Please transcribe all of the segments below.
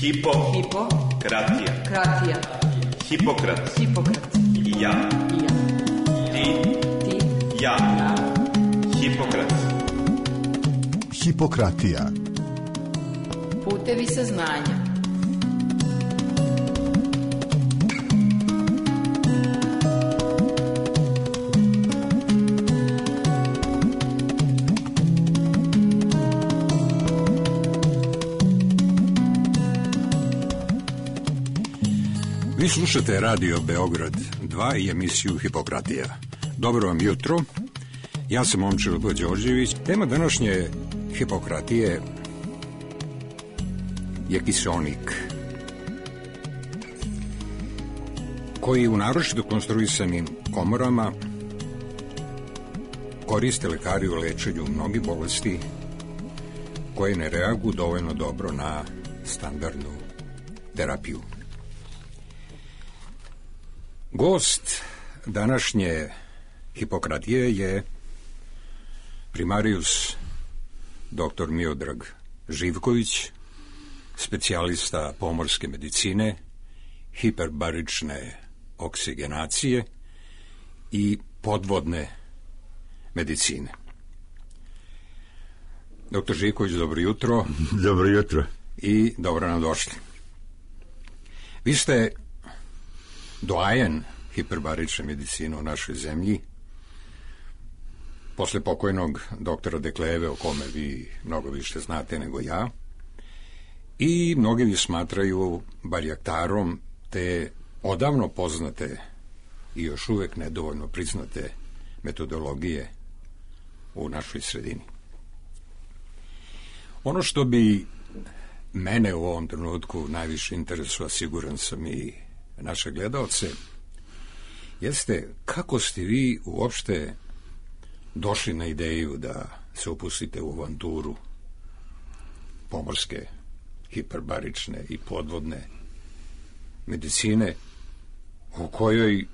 Hipokratija. Hipokrat. Ja. Ti. Ja. Hipokrat. Hipokratija. Putevi saznanja. Vi slušate Radio Beograd 2 i emisiju Hipokratija. Dobro vam jutro, ja sam Momčilo Đorđević. Tema današnje Hipokratije je kiseonik, koji u naročito konstruisanim komorama koriste lekari u lečenju mnogih bolesti koje ne reaguju dovoljno dobro na standardnu terapiju. Gost današnje Hipokratije je primarius dr. Miodrag Živković, specijalista pomorske medicine, hiperbarične oksigenacije i podvodne medicine. Dr. Živković, dobro jutro. Dobro jutro. I dobro nam došli. Vi ste doajen hiperbarične medicine u našoj zemlji, posle pokojnog doktora Dekleve, o kome vi mnogo više znate nego ja, i mnogi vi smatraju barjaktarom te odavno poznate i još uvek nedovoljno priznate metodologije u našoj sredini. Ono što bi mene u ovom trenutku najviše interesuje, siguran sam i naše gledalce, jeste kako ste vi uopšte došli na ideju da se upustite u avanturu pomorske, hiperbarične i podvodne medicine, u kojoj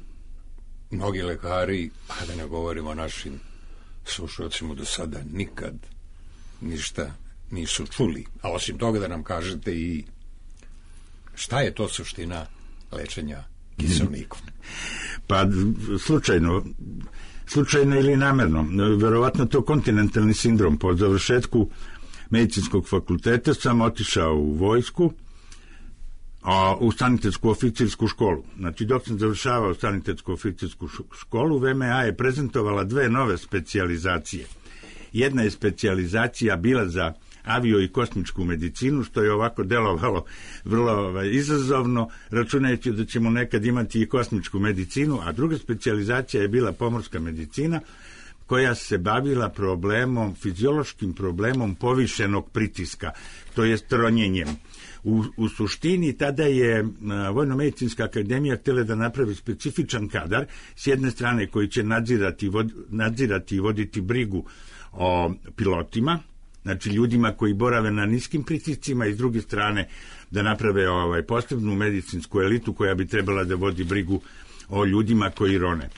mnogi lekari, a da ne govorimo o našim slušalcima, do sada nikad ništa nisu čuli. A osim toga da nam kažete i šta je to suština lečenja kiseonikom. Pa slučajno ili namerno. Verovatno to kontinentalni sindrom. Po završetku medicinskog fakulteta sam otišao u vojsku, u sanitetsku oficirsku školu. Znači, dok sam završavao sanitetsku oficirsku školu, VMA je prezentovala dve nove specijalizacije. Jedna je specijalizacija bila za avio i kosmičku medicinu, što je ovako delovalo vrlo izazovno, računajući da ćemo nekad imati i kosmičku medicinu, a druga specijalizacija je bila pomorska medicina, koja se bavila fiziološkim problemom povišenog pritiska, to je ronjenjem. U suštini tada je Vojno-medicinska akademija htjela da napravi specifičan kadar, s jedne strane koji će nadzirati i voditi brigu o pilotima, znači ljudima koji borave na niskim pritiscima, i s druge strane da naprave posebnu medicinsku elitu koja bi trebala da vodi brigu o ljudima koji rone.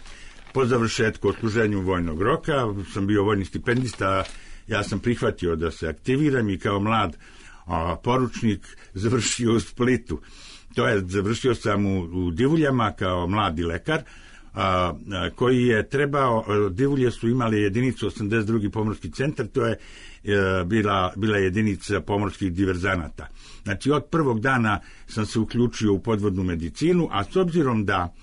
Po završetku odsluženju vojnog roka sam bio vojni stipendista, ja sam prihvatio da se aktiviram i kao mlad poručnik završio u Splitu. To je, završio sam u Divuljama kao mladi lekar, koji je trebao, Divulje su imali jedinicu 82. pomorski centar, to je bila jedinica pomorskih diverzanata. Znači, od prvog dana sam se uključio u podvodnu medicinu, a s obzirom da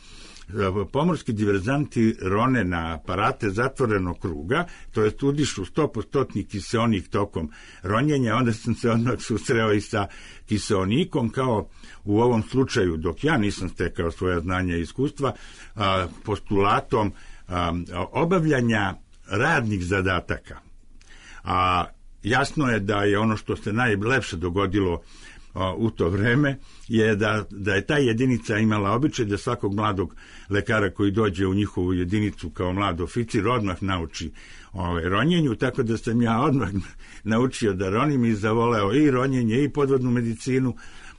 pomorski diverzanti rone na aparate zatvorenog kruga, to jest udišu 100% kiseonik tokom ronjenja, onda sam se odmah susreo i sa kiseonikom, kao u ovom slučaju, dok ja nisam stekao svoje znanja i iskustva, postulatom obavljanja radnih zadataka. A jasno je da je ono što se najlepše dogodilo u to vreme je da je ta jedinica imala običaj da svakog mladog lekara koji dođe u njihovu jedinicu kao mlad oficir odmah nauči ronjenju, tako da sam ja odmah naučio da ronim i zavoleo i ronjenje i podvodnu medicinu,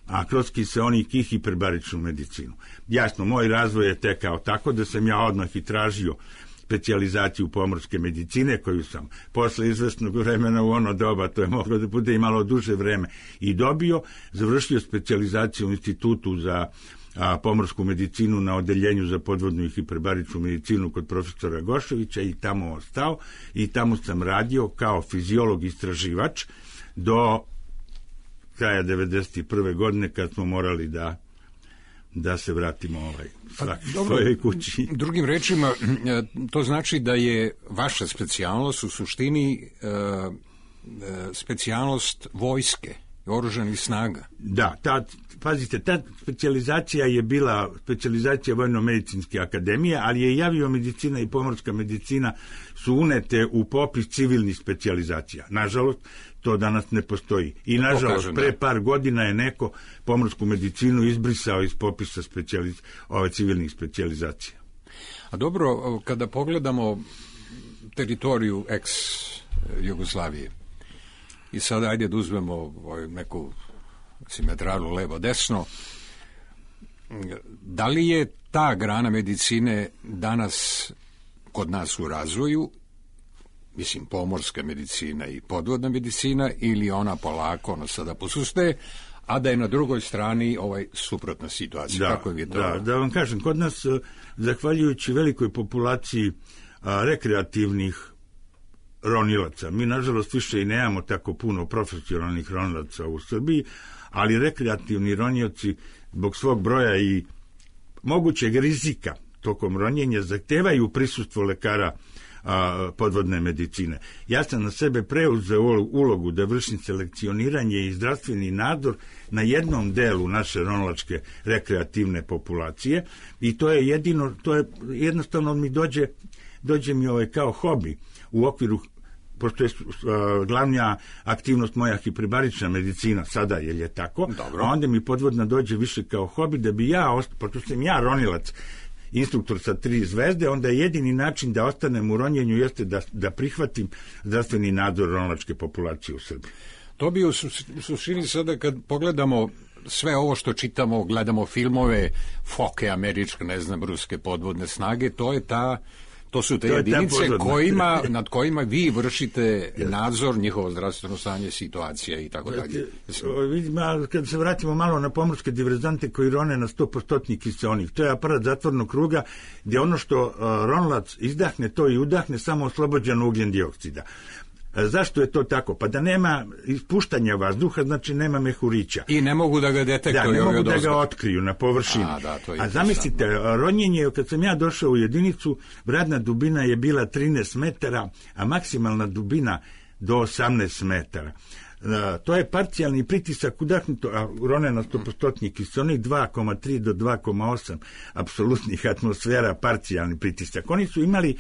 a kroz kiseonik i hiperbaričnu medicinu. Jasno, moj razvoj je tekao tako da sam ja odmah i tražio specijalizaciju pomorske medicine, koju sam posle izvesnog vremena u ono doba, to je moglo da bude i malo duže vreme, i dobio, završio specijalizaciju u Institutu za pomorsku medicinu na odeljenju za podvodnu i hiperbaričnu medicinu kod profesora Goševića i tamo ostao i tamo sam radio kao fiziolog istraživač do kraja 1991. godine kad smo morali da se vratimo svojoj kući. Drugim rečima, to znači da je vaša specijalnost u suštini specijalnost vojske, oružanih snaga. Da, pazite, ta specijalizacija je bila specijalizacija Vojno-medicinske akademije, ali je i aviomedicina i pomorska medicina su unete u popis civilnih specijalizacija. Nažalost, to danas ne postoji. I nažalost, pre par godina je neko pomorsku medicinu izbrisao iz popisa civilnih specijalizacija. A dobro, kada pogledamo teritoriju ex-Jugoslavije, i sada ajde da uzmemo neku simetralu levo-desno, da li je ta grana medicine danas kod nas u razvoju, mislim pomorska medicina i podvodna medicina, ili ona polako sada posustaje, a da je na drugoj strani suprotna situacija? Kako je to? Da vam kažem, kod nas, zahvaljujući velikoj populaciji rekreativnih ronilaca, mi nažalost više i nemamo tako puno profesionalnih ronilaca u Srbiji, ali rekreativni ronioci zbog svog broja i mogućeg rizika tokom ronjenja zahtevaju prisustvo lekara podvodne medicine. Ja sam na sebe preuzeo ulogu da vršim selekcioniranje i zdravstveni nadzor na jednom delu naše ronilačke rekreativne populacije i to je jednostavno mi dođe mi kao hobi u okviru, pošto je glavna aktivnost moja hiperbarična medicina sada, je tako, dobro. A onda mi podvodna dođe više kao hobi da bi pošto sam ja ronilac, instruktor sa 3 zvezde, onda je jedini način da ostanem u ronjenju jeste da prihvatim zdravstveni nadzor ronilačke populacije u Srbiji. To bi u suštini sada kad pogledamo sve ovo što čitamo, gledamo filmove, foke američke, ruske podvodne snage, to su te jedinice nad kojima vi vršite nadzor, njihovo zdravstveno stanje, situacija i tako dalje. Kad se vratimo malo na pomorske diverzante koji rone na 100% kiseonik, to je aparat zatvornog kruga gdje ono što ronilac izdahne, to i udahne samo oslobođeno ugljen dioksida. Zašto je to tako? Pa da nema ispuštanja vazduha, znači nema mehurića. I ne mogu da ga detektuju. Da, ne mogu da ga otkriju na površini. A zamislite, ronjenje, kad sam ja došao u jedinicu, vradna dubina je bila 13 metara, a maksimalna dubina do 18 metara. To je parcijalni pritisak udahnuto, a rone na 100% kiseonik 2,3 do 2,8 apsolutnih atmosfera, parcijalni pritisak. Oni su imali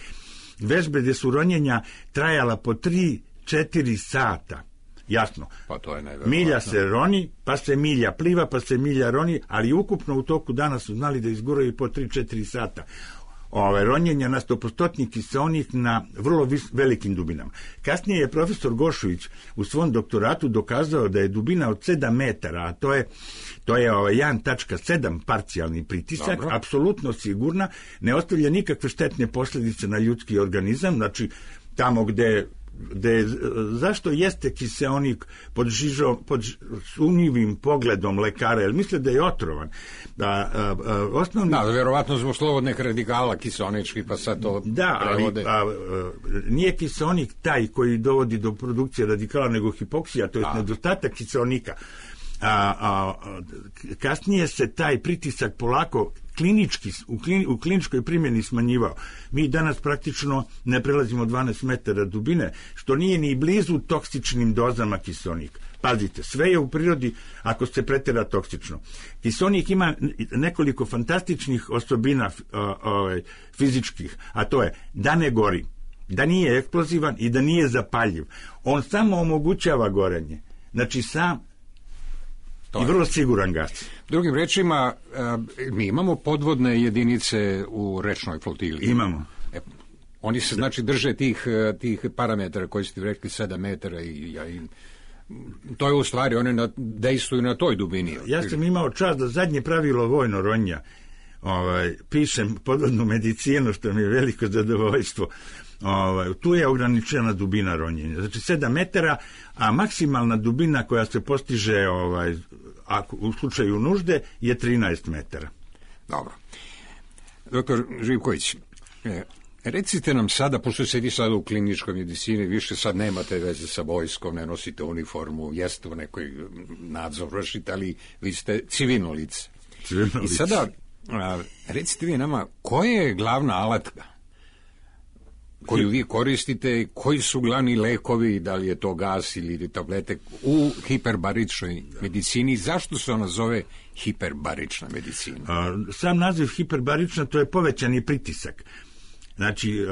vežbe gdje su ronjenja trajala po 3-4 sata. Jasno. Pa to je neverovatno. Milja se roni, pa se milja pliva, pa se milja roni, ali ukupno u toku dana su znali da izguraju po 3-4 sata. Ronjenja na 100% kiseonik na vrlo velikim dubinama. Kasnije je profesor Gošović u svom doktoratu dokazao da je dubina od 7 metara, a to je 1,7 parcijalni pritisak, apsolutno sigurna, ne ostavlja nikakve štetne posljedice na ljudski organizam, znači tamo gde zašto jeste kiseonik pod sumnjivim pogledom lekara, jer misle da je otrovan. Verovatno zbog slobodnih radikala kiseonički, pa sad to prevode. Nije kiseonik taj koji dovodi do produkcije radikala, nego hipoksija, to je nedostatak kiseonika. Kasnije se taj pritisak polako u kliničkoj primjeni smanjivao. Mi danas praktično ne prelazimo 12 metara dubine, što nije ni blizu toksičnim dozama kiseonika. Pazite, sve je u prirodi ako se pretjera toksično. Kiseonik ima nekoliko fantastičnih osobina fizičkih, a to je da ne gori, da nije eksplozivan i da nije zapaljiv. On samo omogućava gorenje. Znači i vrlo siguran gas. Drugim rečima, mi imamo podvodne jedinice u rečnoj flotili. Imamo. Oni se znači drže tih parametara koji ste rekli 7 metara i to je u stvari, one dejstvuju na toj dubini. Ja sam imao čast da zadnje pravilo vojno ronja pišem podvodnu medicinu, što mi je veliko zadovoljstvo. Tu je ograničena dubina ronjenja. Znači 7 metara, a maksimalna dubina koja se postiže u slučaju nužde je 13 metara. Dobro. Doktor Živković, recite nam sada, pošto sedi sada u kliničkoj medicini, više sad nemate veze sa vojskom, ne nosite uniformu, jeste u nekoj nadzor vršite, ali vi ste civilno lice. I sada, recite vi nama, koja je glavna alatka koju vi koristite, koji su glavni lekovi, da li je to gas ili tablete u hiperbaričnoj medicini, zašto se ona zove hiperbarična medicina? Sam naziv hiperbarična, to je povećani pritisak. Znači,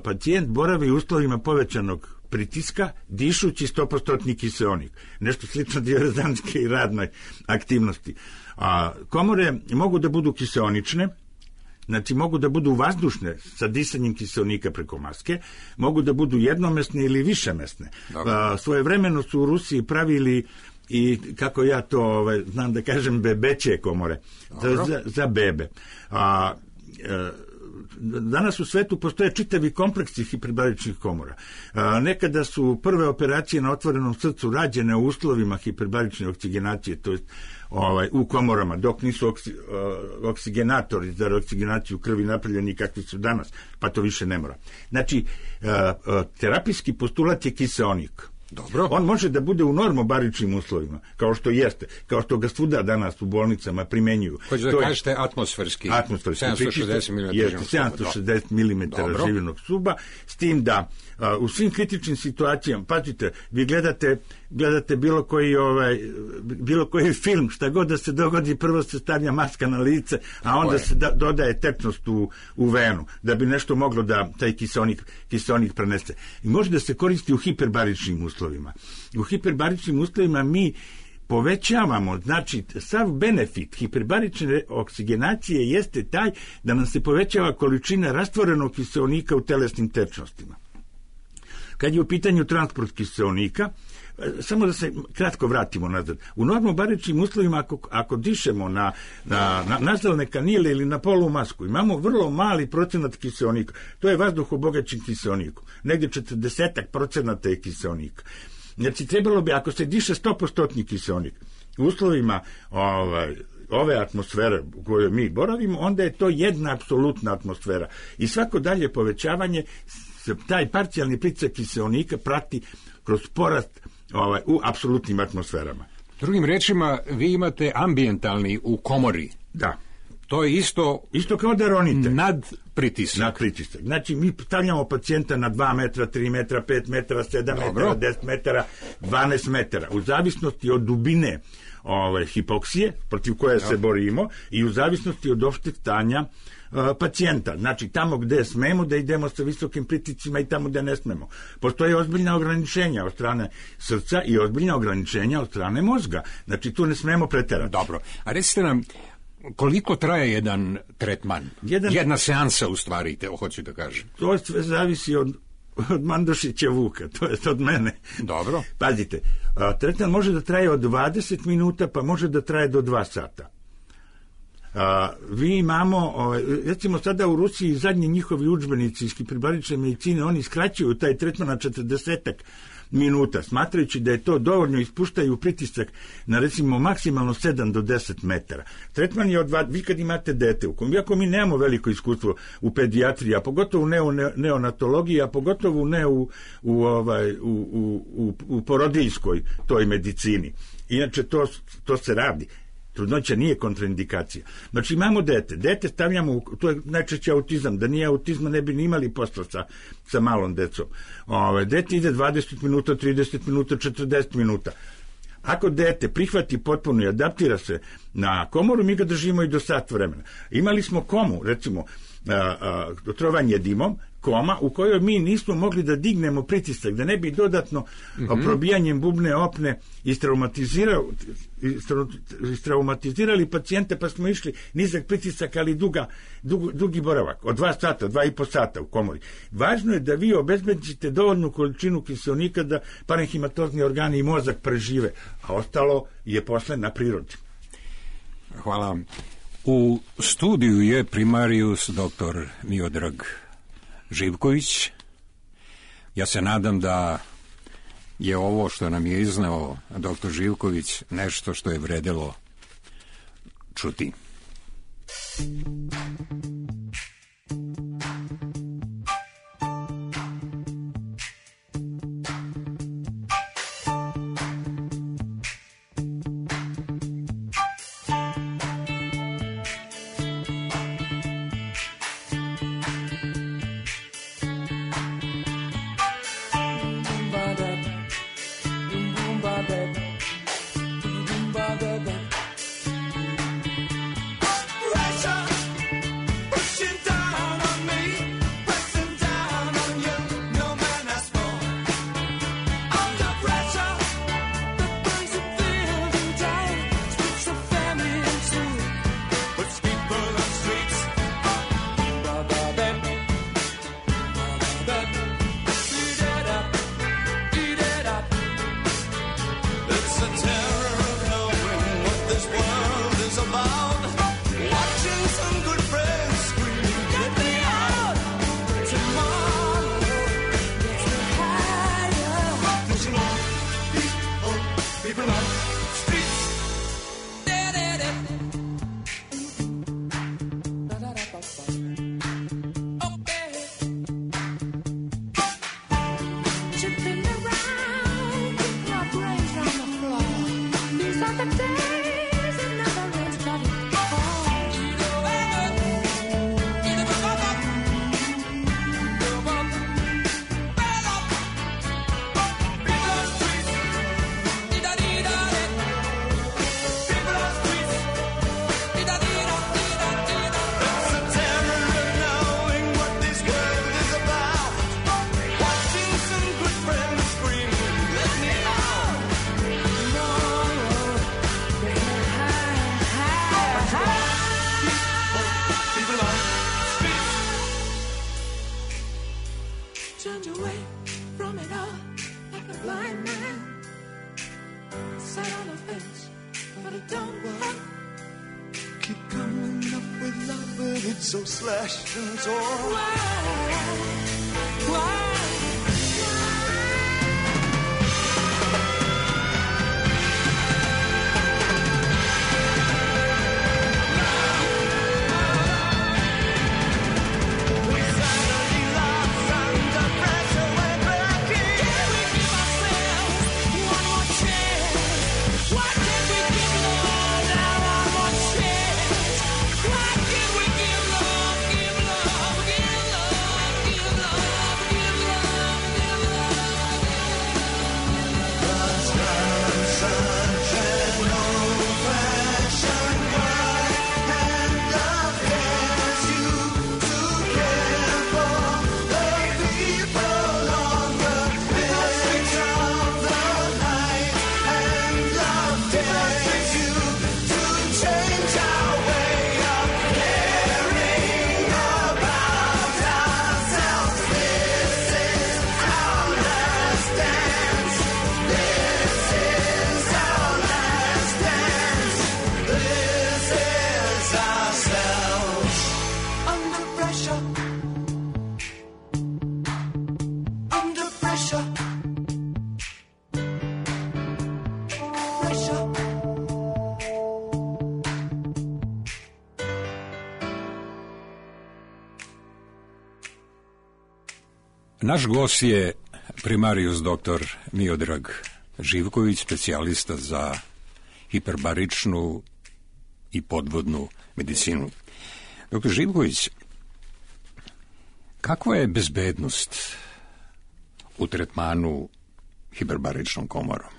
pacijent boravi u uslovima povećanog pritiska, dišući 100% kiseonik. Nešto slično diverzantske i radnoj aktivnosti. Komore mogu da budu kiseonične, znači mogu da budu vazdušne sa disanjem kiseonika preko maske, mogu da budu jednomesne ili višemesne. Svojevremeno su u Rusiji pravili i, kako ja to znam da kažem, bebeće komore za bebe. Danas u svetu postoje čitavi kompleksi hiperbaričnih komora. Nekada su prve operacije na otvorenom srcu rađene u uslovima hiperbarične oksigenacije, to je u komorama, dok nisu oksigenatori za oksigenaciju krvi napravljeni kakvi su danas, pa to više ne mora. Znači, terapijski postulat je kiseonik. Dobro. On može da bude u normobaričnim uslovima, kao što jeste, kao što ga svuda danas u bolnicama primenjuju. Hoće da kažete atmosferski 760 mm. Jeste, 760 mm živinog stuba, s tim da u svim kritičnim situacijama, pazite, vi gledate bilo koji film, šta god da se dogodi, prvo se stavlja maska na lice, a onda se dodaje tečnost u venu, da bi nešto moglo da taj kiseonik prenese. I može da se koristi u hiperbaričnim uslovima. U hiperbaričnim uslovima mi povećavamo, znači sav benefit hiperbarične oksigenacije jeste taj da nam se povećava količina rastvorenog kiseonika u telesnim tečnostima. Kad je u pitanju transport kiseonika, samo da se kratko vratimo nazad. U normobaričnim uslovima, ako dišemo na nazalne kanile ili na polumasku, imamo vrlo mali procenat kiseonika. To je vazduh obogaćen kiseonikom. Negdje 40% je kiseonika. Znači, trebalo bi, ako se diše 100% kiseonik, u uslovima ove atmosfere u kojoj mi boravimo, onda je to jedna apsolutna atmosfera. I svako dalje povećavanje, taj parcijalni pritisak kiseonika prati kroz porast u apsolutnim atmosferama. Drugim rečima, vi imate ambijentalni u komori. Da. To je isto kao da ronite. Nad pritisak. Znači, mi stavljamo pacijenta na 2 metra, 3 metra, 5 metara, 7 metara, 10 metara, 12 metara. U zavisnosti od dubine hipoksije, protiv koje se borimo, i u zavisnosti od opšteg stanja pacijenta. Znači, tamo gde smemo da idemo sa visokim pritiscima i tamo gde ne smemo. Postoje ozbiljna ograničenja od strane srca i ozbiljna ograničenja od strane mozga. Znači, tu ne smemo preterati. Dobro. A recite nam, koliko traje jedan tretman? Jedna seansa, u stvari, hoću da kažem. To sve zavisi od Mandošića Vuka, to je od mene. Dobro. Pazite, tretman može da traje od 20 minuta, pa može da traje do 2 sata. Vi imamo, recimo sada u Rusiji zadnji njihovi udžbenici iz hiperbarične medicine, oni skraćuju taj tretman na 40 minuta, smatrajući da je to dovoljno, ispuštaju pritisak na recimo maksimalno 7 do 10 metara. Tretman je vi kad imate dete, iako mi nemamo veliko iskustvo u pedijatriji, a pogotovo ne u neonatologiji, a pogotovo ne u porodiljskoj toj medicini. Inače to se radi. Trudnoća nije kontraindikacija. Znači, imamo dete stavljamo, to je najčešće autizam, da nije autizma ne bi ni imali posla sa malom decom. Dete ide 20 minuta, 30 minuta, 40 minuta. Ako dete prihvati potpuno i adaptira se na komoru, mi ga držimo i do sat vremena. Imali smo komu, recimo, otrovanje dimom, koma u kojoj mi nismo mogli da dignemo pritisak, da ne bi dodatno probijanjem bubne opne istraumatizirali pacijente, pa smo išli nizak pritisak, ali dugi boravak, od 2 sata, 2,5 sata u komori. Važno je da vi obezbedite dovoljnu količinu kiseonika da parenhimatozni organi i mozak prežive, a ostalo je posle na prirodi. Hvala vam. U studiju je primarijus dr. Miodrag Živković. Ja se nadam da je ovo što nam je izneo dr. Živković nešto što je vredelo čuti. So slashed and torn. Why? Naš gost je primarijus dr. Miodrag Živković, specijalista za hiperbaričnu i podvodnu medicinu. Dr. Živković, kakva je bezbednost u tretmanu hiperbaričnom komorom?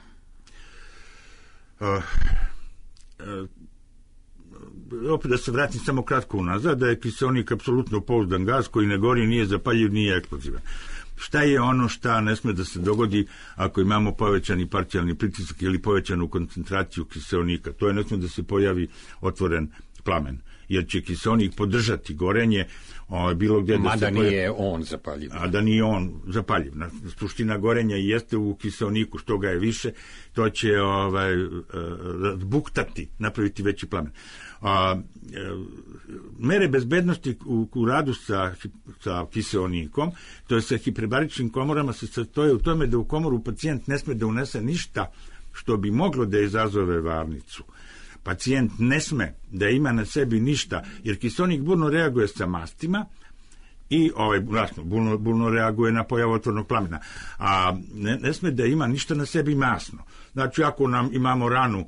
Opet da se vratim samo kratko unazad, da je kiseonik apsolutno pouzdan gaz koji ne gori, nije zapaljiv, nije eksplozivan. Šta je ono šta ne sme da se dogodi ako imamo povećani parcijalni pritisak ili povećanu koncentraciju kiseonika? To je ne sme da se pojavi otvoren plamen. jer će kiseonik podržati gorenje bilo gdje da mada nije on zapaljiv. A da nije on zapaljiv. Suština gorenja jeste u kiseoniku, što ga je više, to će buktati, napraviti veći plamen. Mere bezbednosti u radu sa kiseonikom, to je sa hiperbaričnim komorama, se sastoje u tome da u komoru pacijent ne sme da unese ništa što bi moglo da izazove varnicu. Pacijent ne sme da ima na sebi ništa, jer kiseonik burno reaguje sa mastima i burno reaguje na pojavu otvornog plamena, a ne sme da ima ništa na sebi masno. Znači, ako imamo ranu,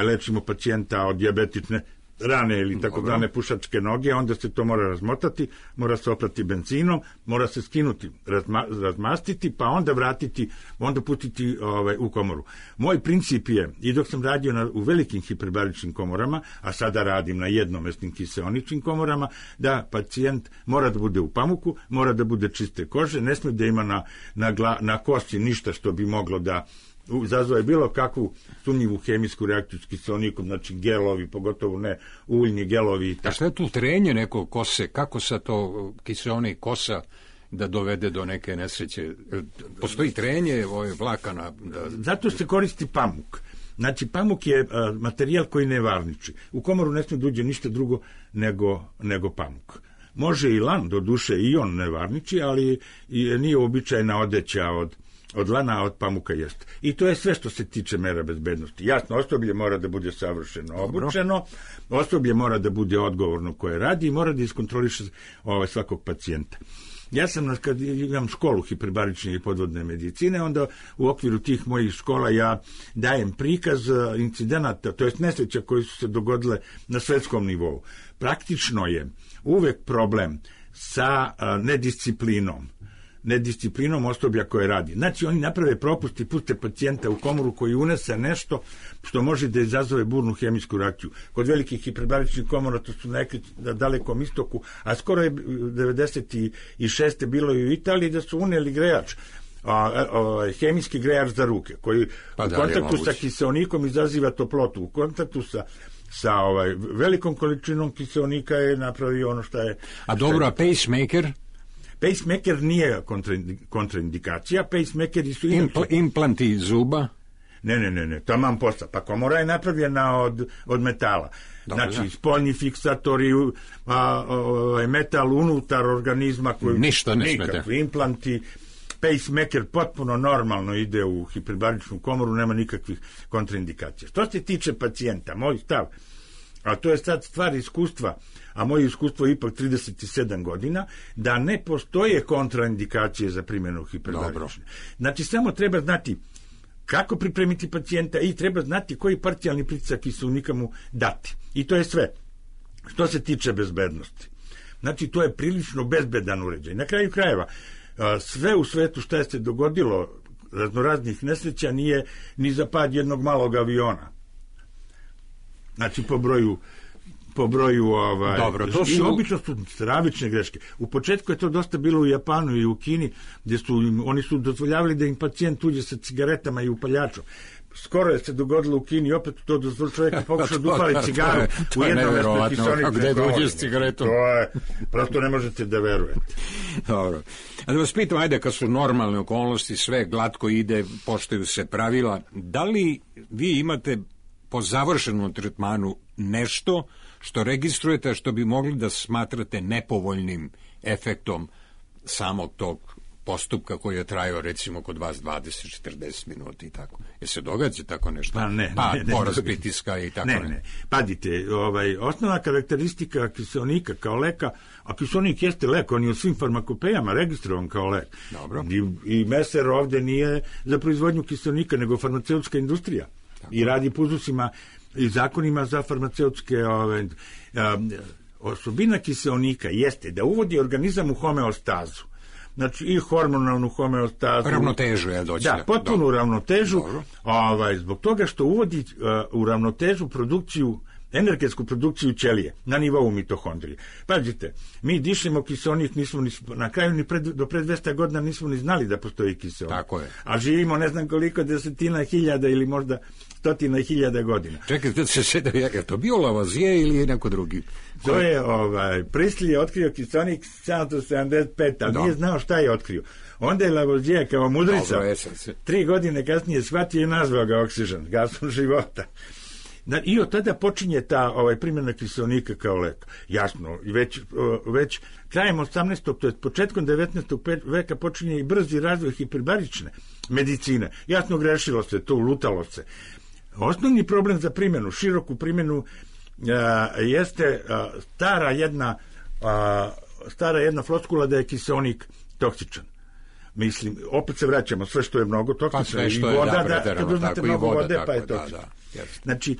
lečimo pacijenta od dijabetične rane ili tako zvane pušačke noge, onda se to mora razmotati, mora se oprati benzinom, mora se skinuti, razmastiti, pa onda vratiti, onda pustiti u komoru. Moj princip je, i dok sam radio u velikim hiperbaričnim komorama, a sada radim na jednomesnim kiseoničnim komorama, da pacijent mora da bude u pamuku, mora da bude čiste kože, ne sme da ima na kosti ništa što bi moglo da izazove bilo kakvu sumnjivu hemijsku reakciju s kiseonikom, znači gelovi, pogotovo ne uljni gelovi. A šta je tu trenje neko kose? Kako sa to kiseonik kosa da dovede do neke nesreće? Postoji trenje vlakana? Zato se koristi pamuk. Znači, pamuk je materijal koji ne varniči. U komoru ne smije da uđe ništa drugo nego pamuk. Može i lan, do duše i on ne varniči, ali nije uobičajena odeća od lana, a od pamuka jeste. I to je sve što se tiče mera bezbednosti. Jasno, osoblje mora da bude savršeno obučeno, osoblje mora da bude odgovorno koje radi i mora da iskontroliše svakog pacijenta. Ja sam, kad imam školu hiperbarične i podvodne medicine, onda u okviru tih mojih škola ja dajem prikaz incidenata, to jest nesreća koji su se dogodile na svetskom nivou. Praktično je uvek problem sa nedisciplinom osoblja koje radi. Znači, oni naprave propust i puste pacijenta u komoru koji unese nešto što može da izazove burnu hemijsku reakciju. Kod velikih hiperbaričnih komora, to su neki na Dalekom istoku, a skoro je 96. bilo i u Italiji da su uneli grejač, hemijski grejač za ruke, koji u kontaktu sa kiseonikom izaziva toplotu. U kontaktu sa velikom količinom kiseonika je napravio ono što je... A dobro, a pacemaker? Pacemaker nije kontraindikacija, pacemakeri su... Implanti zuba? Ne, taman posla. Pa komora je napravljena od metala. Dobro, znači, spoljni fiksatori, metal unutar organizma koji... Ništa ne smete. Nikakvi implanti, pacemaker potpuno normalno ide u hiperbaričnu komoru, nema nikakvih kontraindikacija. Što se tiče pacijenta, moj stav, a to je sad stvar iskustva, a moje iskustvo je ipak 37 godina, da ne postoje kontraindikacije za primjenu hiperbarične. Znači, samo treba znati kako pripremiti pacijenta i treba znati koji parcijalni pritisak kiseonika mu dati. I to je sve. Što se tiče bezbednosti. Znači, to je prilično bezbedan uređaj. Na kraju krajeva, sve u svetu što je se dogodilo raznoraznih nesreća nije ni za pad jednog malog aviona. Znači, po broju Dobro, to su... i obično su stravične greške. U početku je to dosta bilo u Japanu i u Kini, gdje oni su dozvoljavali da im pacijent uđe sa cigaretama i upaljačom. Skoro je se dogodilo u Kini, opet to da čovjeka pokuša da upali cigaru u jednom mjestu kiseonik. Gde dođe s cigaretom? To je, prosto ne možete da verujete. Dobro. A da vas pitam, ajde, kad su normalne okolnosti, sve glatko ide, poštuju se pravila, da li vi imate po završenom tretmanu nešto što registrujete, što bi mogli da smatrate nepovoljnim efektom samog tog postupka koji je trajao recimo kod vas 20-40 minuta i tako. Je se događa tako nešto? Pa ne. Porast pritiska i tako ne. Ne. Padite, osnovna karakteristika kiseonika kao leka, a kiseonik jeste lek, on je u svim farmakopejama registrovan kao lek. Dobro. I Meser ovde nije za proizvodnju kiseonika, nego farmaceutska industrija. Tako. I radi po uzusima i zakonima za farmaceutske osobina kiseonika jeste da uvodi organizam u homeostazu. Znači, i hormonalnu homeostazu. Ravnotežu je doći. Da, potpunu ravnotežu. Zbog toga što uvodi u ravnotežu produkciju energetsku produkciju ćelije na nivou mitohondrije. Pazite, mi dišemo kiseonik, nismo na kraju do pre 200 godina nismo ni znali da postoji kiseonik. Tako je. A živimo ne znam koliko desetina hiljada ili možda stotina hiljada godina. Čekaj, je to bio Lavoisier ili je neko drugi? To je, Priestley je otkrio kiseonik 775, ali nije znao šta je otkrio. Onda je Lavoisier kao mudrica 3 godine kasnije shvatio i nazvao ga oksigen, gasom života. I od tada počinje ta primjena kiseonika kao lek. Jasno, već krajem 18. to je početkom 19. veka počinje i brzi razvoj hiperbarične medicine. Jasno, grešilo se tu, lutalo se. Osnovni problem za primjenu, široku primjenu, jeste stara jedna floskula da je kiseonik toksičan. Mislim, opet se vraćamo, sve što je mnogo toksično i voda, kad uzmete mnogo vode, pa je toksično. Znači,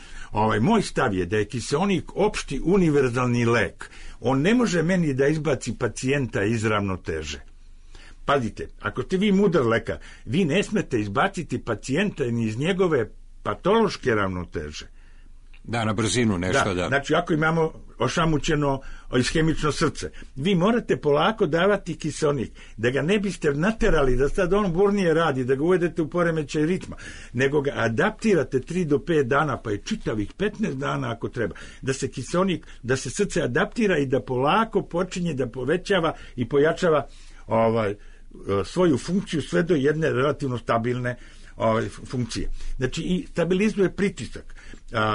moj stav je da je kiseonik opšti univerzalni lek. On ne može meni da izbaci pacijenta iz ravnoteže. Pazite, ako ste vi mudar lekar, vi ne smete izbaciti pacijenta ni iz njegove patološke ravnoteže. Da, na brzinu nešto, da. Znači, ako imamo ošamućeno ishemično srce, vi morate polako davati kiseonik, da ga ne biste naterali da sad on burnije radi, da ga uvedete u poremećaj ritma, nego ga adaptirate 3 do 5 dana, pa je čitavih 15 dana ako treba, da se kiseonik, da se srce adaptira i da polako počinje da povećava i pojačava svoju funkciju sve do jedne relativno stabilne funkcije. Znači, i stabilizuje pritisak.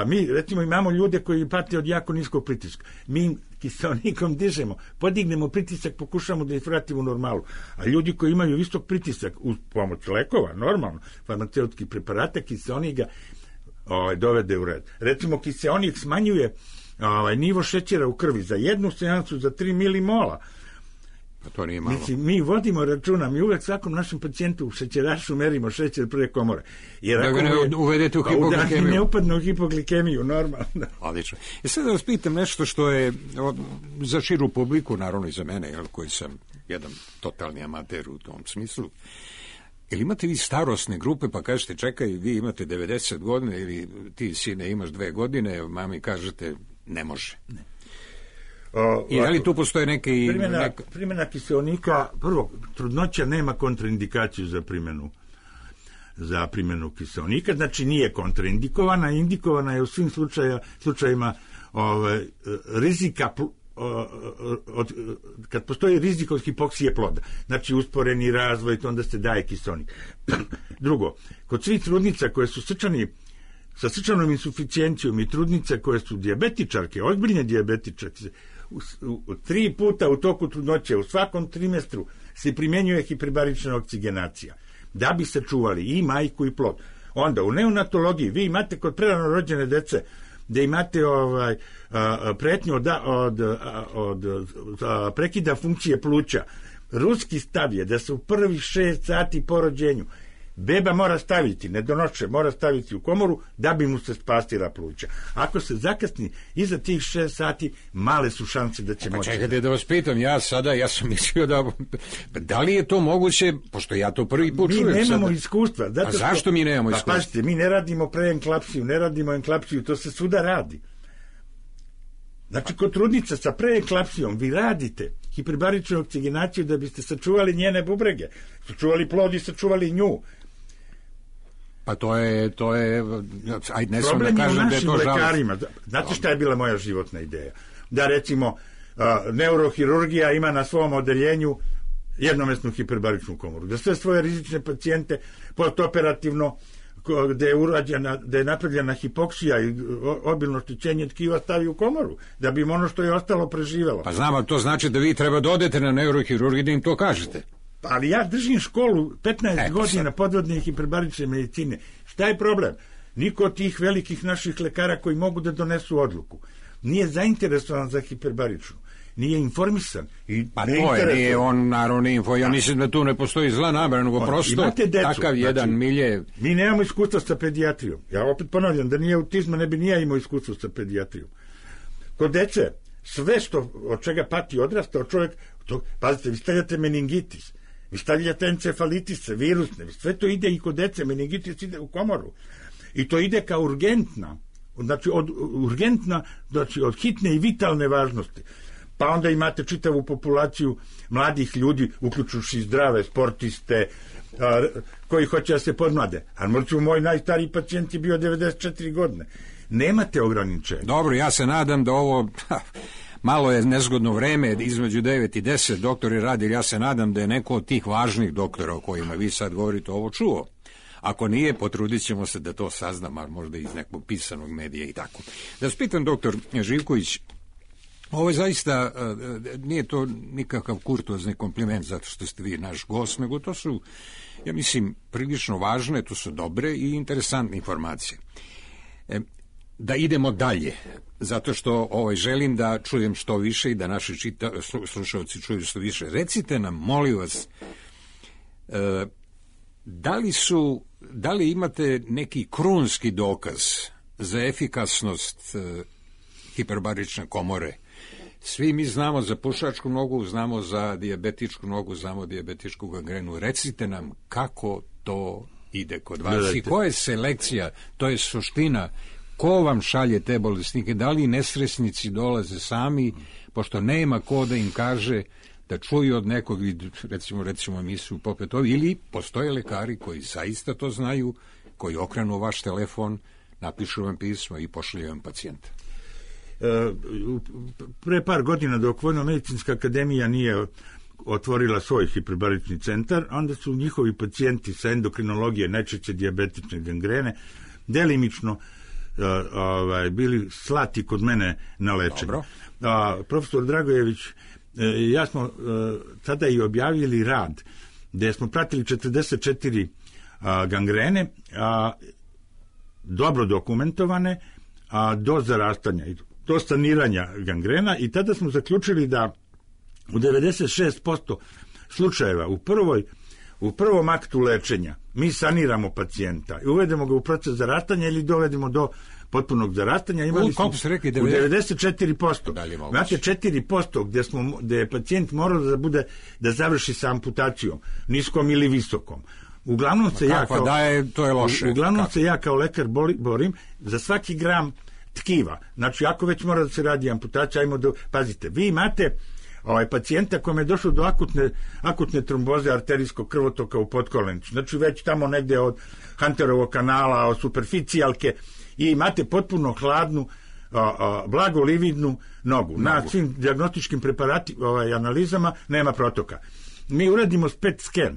Mi, recimo, imamo ljude koji pate od jako niskog pritiska. Mi kiseonikom dižemo, podignemo pritisak, pokušamo da ih vratimo u normalu. A ljudi koji imaju visok pritisak uz pomoć lekova, normalno, farmaceutskih preparata, kiseonik ga dovede u red. Recimo, kiseonik smanjuje nivo šećera u krvi za jednu seansu za 3 milimola. To nije malo. Mislim, mi vodimo računa, mi uvek svakom našem pacijentu u šećerašu merimo šećer prve komore. Jer da ga ne uvedete u hipoglikemiju. Ne upadne u hipoglikemiju, normalno. Odlično. I sad da vas pitam nešto što je za širu publiku, naravno i za mene, koji sam jedan totalni amater u tom smislu. Jel imate vi starosne grupe, pa kažete, čekaj, vi imate 90 godina ili ti, sine, imaš 2 godine, mami kažete, ne može. Ne. I da li tu postoje neke... Primjena kiseonika, prvo, trudnoća nema kontraindikaciju za primjenu kiseonika, znači nije kontraindikovana, indikovana je u svim slučajima rizika kad postoji rizik od hipoksije ploda, znači usporeni razvoj, to onda se daje kiseonik. Drugo, kod svih trudnica koje su sa srčanom insuficijencijom i trudnice koje su dijabetičarke, ozbiljne dijabetičarke, 3 puta u toku trudnoće, u svakom trimestru se primjenjuje hiperbarična oksigenacija, da bi se čuvali i majku i plod. Onda u neonatologiji vi imate kod prerano rođene dece da imate pretnju od prekida funkcije pluća. Ruski stav je da se u prvih 6 sati po rođenju beba mora staviti, nedonošče, mora staviti u komoru da bi mu se spastila pluća. Ako se zakasni iza tih 6 sati, male su šanse da će moći. Čekajte da vas pitam, ja sam mislio da li je to moguće, pošto ja to prvi put čujem. Mi nemamo iskustva. A zašto mi nemamo iskustva? Pa pazite, mi ne radimo preenklapsiju, ne radimo enklapsiju, to se svuda radi. Znači, kod trudnica sa preenklapsijom vi radite hiperbaričnu oksigenaciju da biste sačuvali njene bubrege, sačuvali plod i sačuvali nju. Pa to je ajde, ne sam problem da kažem da je to žalost. Lekarima. Znate šta je bila moja životna ideja? Da, recimo, neurohirurgija ima na svom odeljenju jednomesnu hiperbaričnu komoru. Da sve svoje rizične pacijente postoperativno, gde je napravljena hipoksija i obilno oštećenje tkiva stavi u komoru, da bi im ono što je ostalo preživelo. Pa znam, ali to znači da vi treba da odete na neurohirurgiju da im to kažete. Ali ja držim školu 15 godina podvodne hiperbarične medicine. Šta je problem? Niko od tih velikih naših lekara koji mogu da donesu odluku nije zainteresovan za hiperbaričnu. Nije informisan. Pa to je, nije on naravno info. Ja mislim da tu ne postoji zla namera, nego prosto takav jedan milje. Mi nemamo iskustva sa pedijatrijom. Ja opet ponavljam da nije autizma, ne bi nije imao iskustva sa pedijatrijom. Kod dece, sve od čega pati odrastao čovjek, pazite, vi stavljate meningitis, vi stavljate encefalitise, virusne, sve to ide i kod dece, meningitis ide u komoru. I to ide kao urgentna Znači, urgentna, znači, od hitne i vitalne važnosti. Pa onda imate čitavu populaciju mladih ljudi, uključujući zdrave sportiste, koji hoće da se podmlade. A možda moj najstariji pacijent je bio 94 godine. Nemate ograničenja. Dobro, ja se nadam da ovo... Malo je nezgodno vreme, između 9 i 10 doktori radi, ja se nadam da je neko od tih važnih doktora o kojima vi sad govorite ovo čuo. Ako nije, potrudit ćemo se da to saznam, a možda iz nekog pisanog medija i tako. Da vas pitam, doktor Živković, ovo je zaista, nije to nikakav kurtozni kompliment zato što ste vi naš gost, nego to su, ja mislim, prilično važne, to su dobre i interesantne informacije. Da idemo dalje, zato što želim da čujem što više i da naši slušalci čuju što više. Recite nam, molim vas, da li imate neki krunski dokaz za efikasnost hiperbarične komore? Svi mi znamo za pušačku nogu, znamo za dijabetičku nogu, znamo dijabetičku gangrenu. Recite nam kako to ide kod vas i koja je selekcija, to je suština. Ko vam šalje te bolesnike? Da li nesresnici dolaze sami, pošto nema ko da im kaže da čuju od nekog, recimo emisiju popet ovi, ili postoje lekari koji zaista to znaju, koji okrenu vaš telefon, napišu vam pismo i pošalju vam pacijenta? Pre par godina, dok Vojno-medicinska akademija nije otvorila svoj hiperbarični centar, onda su njihovi pacijenti sa endokrinologije, najčešće dijabetične gangrene, delimično bili slati kod mene na lečenje. Profesor Dragojević, ja smo tada i objavili rad gde smo pratili 44 gangrene, dobro dokumentovane, do zarastanja i do saniranja gangrena, i tada smo zaključili da u 96% slučajeva u prvom aktu lečenja mi saniramo pacijenta i uvedemo ga u proces zarastanja ili dovedemo do potpunog zarastanja. Imali smo u 94%. Znate, 4% gde je pacijent morao da završi sa amputacijom, niskom ili visokom. Uglavnom se ja kao lekar borim za svaki gram tkiva. Znači, ako već mora da se radi amputacija, pazite, vi imate pacijenta kojem je došlo do akutne tromboze arterijskog krvotoka u potkolenicu. Znači, već tamo negde od Hunterovog kanala, od superficijalke, i imate potpuno hladnu, blago lividnu nogu. Na svim dijagnostičkim analizama nema protoka. Mi uradimo PET scan,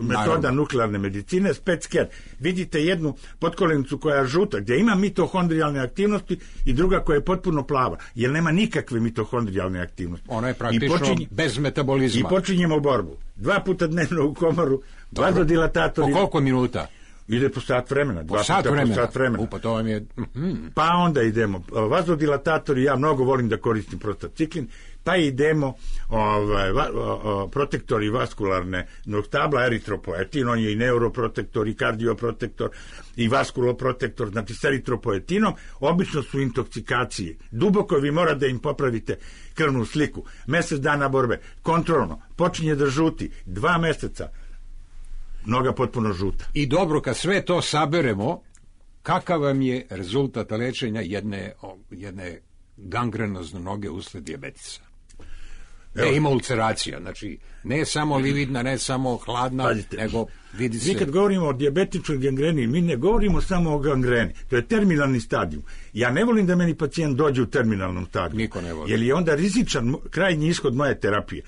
metoda nuklearne medicine, PET scan. Vidite jednu potkolenicu koja je žuta, gdje ima mitohondrijalne aktivnosti, i druga koja je potpuno plava, jer nema nikakve mitohondrijalne aktivnosti. Ona je praktično bez metabolizma. I počinjemo borbu. 2 puta dnevno u komoru, vazodilatatori. Po koliko minuta? Ide po sat vremena. Po sat vremena. Pa to vam je... Pa onda idemo. Vazodilatatori, ja mnogo volim da koristim prostaciklin, pa idemo protektori vaskularne tabla, eritropoetin, on je i neuroprotektor, i kardioprotektor, i vaskuloprotektor, znači s eritropoetinom, obično su intoksikacije. Duboko vi mora da im popravite krvnu sliku. Mesec dana borbe, kontrolno, počinje da žuti, 2 meseca, noga potpuno žuta. I dobro, kad sve to saberemo, kakav vam je rezultat lečenja jedne gangrenozne noge usled dijabetisa? Ima ulceracija, znači ne samo lividna, ne samo hladna, pazite, nego vidi se... Mi kad govorimo o dijabetičnoj gangreni, mi ne govorimo samo o gangreni, to je terminalni stadijum. Ja ne volim da meni pacijent dođe u terminalnom stadiju. Niko ne voli. Jer je onda rizičan krajnji ishod moje terapije.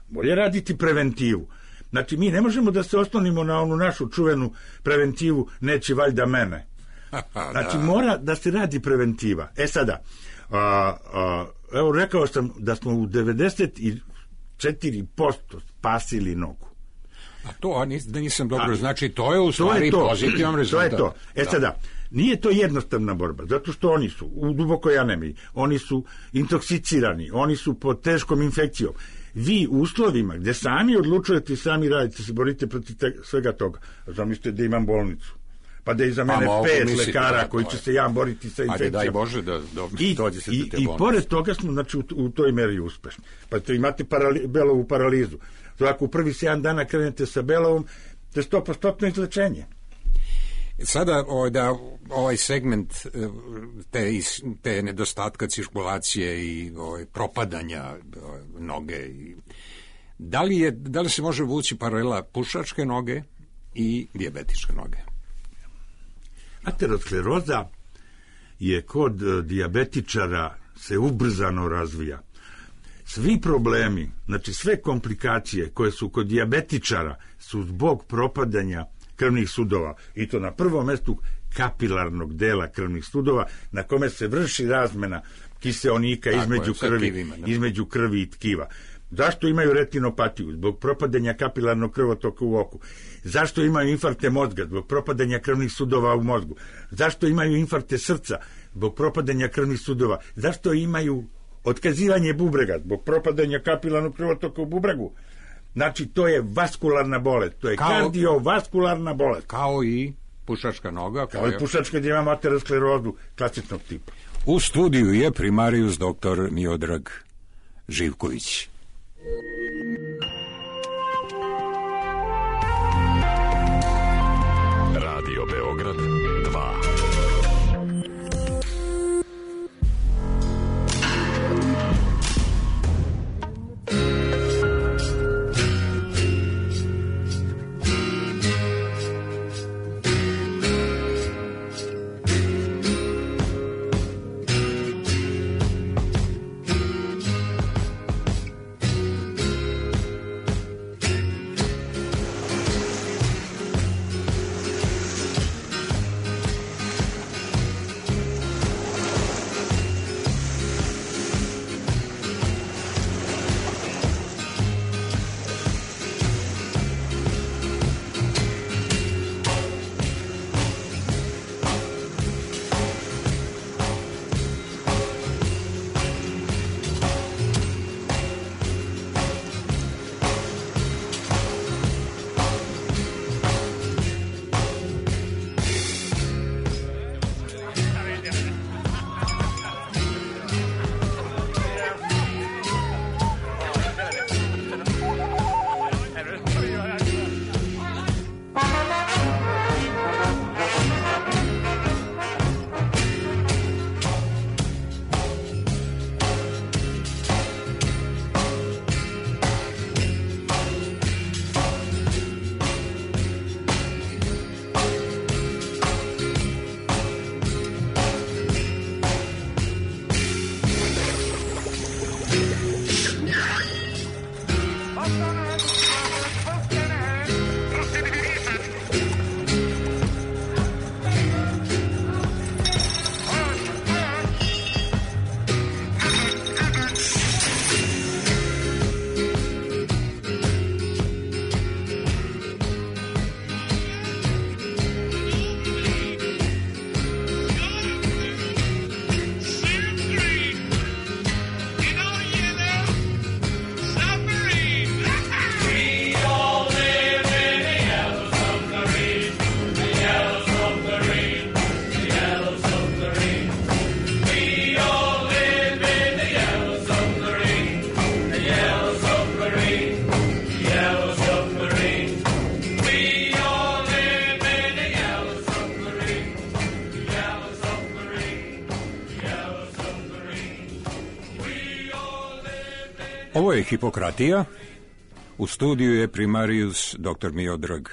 Bolje raditi preventivu. Znači, mi ne možemo da se oslonimo na onu našu čuvenu preventivu, neće valjda mene. Znači, mora da se radi preventiva. Sada, evo, rekao sam da smo u 94% spasili nogu. A to, da nisam dobro, znači, to je u stvari pozitivan rezultat. To je to. Sada, nije to jednostavna borba, zato što oni su u dubokoj anemiji, oni su intoksicirani, oni su pod teškom infekcijom. Vi u uslovima gde sami odlučujete i sami radite, se borite protiv svega toga. Zamislite da imam bolnicu, pa da je iza mene 5 lekara koji će se boriti sa infekcijom. Daj Bože da dođe se do te bolnice. I pored toga smo, znači, u toj meri uspešni. Pa imate belovu paralizu. Ako u prvi 7 dana krenete sa belovom, to je 100% izlečenje. Sada da ovaj segment te nedostatka cirkulacije i propadanja noge, da li se može vući paralela pušačke noge i dijabetičke noge? Ateroskleroza je kod dijabetičara se ubrzano razvija. Svi problemi, znači sve komplikacije koje su kod dijabetičara su zbog propadanja krvnih sudova, i to na prvom mestu kapilarnog dela krvnih sudova na kome se vrši razmena kiseonika između krvi i tkiva. Zašto imaju retinopatiju? Zbog propadanja kapilarnog krvotoka u oku. Zašto imaju infarkte mozga? Zbog propadanja krvnih sudova u mozgu. Zašto imaju infarkte srca? Zbog propadanja krvnih sudova. Zašto imaju otkazivanje bubrega? Zbog propadanja kapilarnog krvotoka u bubregu. Znači, to je vaskularna bolest. To je kardiovaskularna bolest. Kao i pušačka noga. Kao i pušačka, gdje imamo aterosklerozu klasičnog tipa. U studiju je primarijus dr. Miodrag Živković. Radio Beograd 2. Ovo je Hipokratija. U studiju je primarijus dr. Miodrag